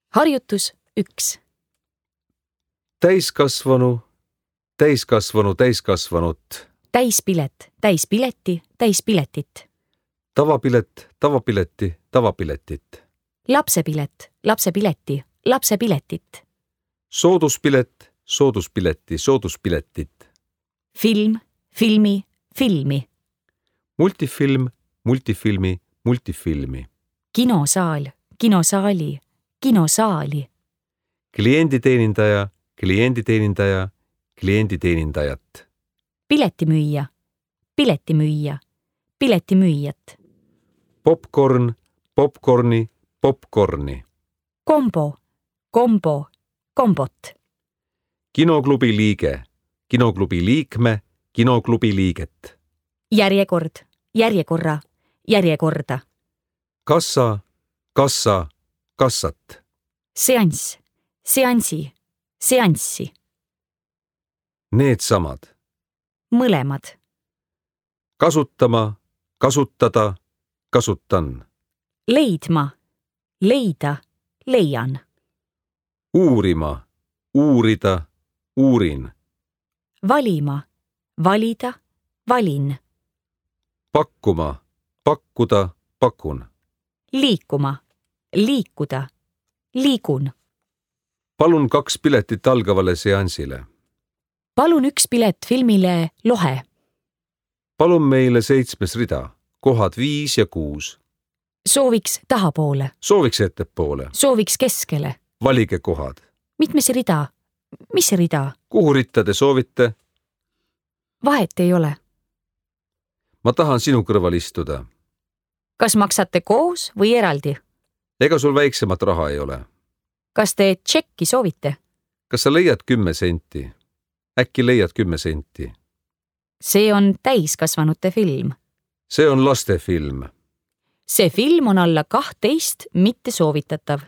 Harjutus 1. Täiskasvanu, täiskasvanu, täiskasvanut. Täispilet, täispileti, täispiletit. Tavapilet, tavapileti, tavapiletit. Lapsepilet, lapsepileti, lapsepiletit. Sooduspilet, sooduspileti, sooduspiletit. Film, filmi, filmi. Multifilm, multifilmi, multifilmi. Kinosaal, kinosaali, kinosaali. Klienditeenindaja, klienditeenindaja, klienditeenindajat. Piletimüüja, piletimüüja, piletimüüjat. Popcorn, popcorni, popcorni. Kombo, kombo, kombot. Kinoklubi liige, kinoklubi liikme, kinoklubi liiget. Järjekord, järjekorra, järjekorda. Kassa, kassa, kassat. Seanss, seansi, seanssi. Needsamad. Mõlemad. Kasutama, kasutada, kasutan. Leidma, leida, leian. Uurima, uurida, uurin. Valima, valida, valin. Pakkuma, pakkuda, pakun. Liikuma, liikuda, liigun. Palun 2 piletit algavale seansile. Palun 1 pilet filmile Lohe. Palun meile 7. rida, kohad 5 ja 6. Sooviks tahapoole. Sooviks ettepoole. Sooviks keskele. Valige kohad. Mitmes rida? Mis rida? Kuhu ritta te soovite? Vahet ei ole. Ma tahan sinu kõrval istuda. Kas maksate koos või eraldi? Ega sul väiksemat raha ei ole. Kas te tšekki soovite? Kas sa leiad 10 senti? Äkki leiad 10 senti? See on täiskasvanute film. See on lastefilm. See film on alla 12 mitte soovitatav.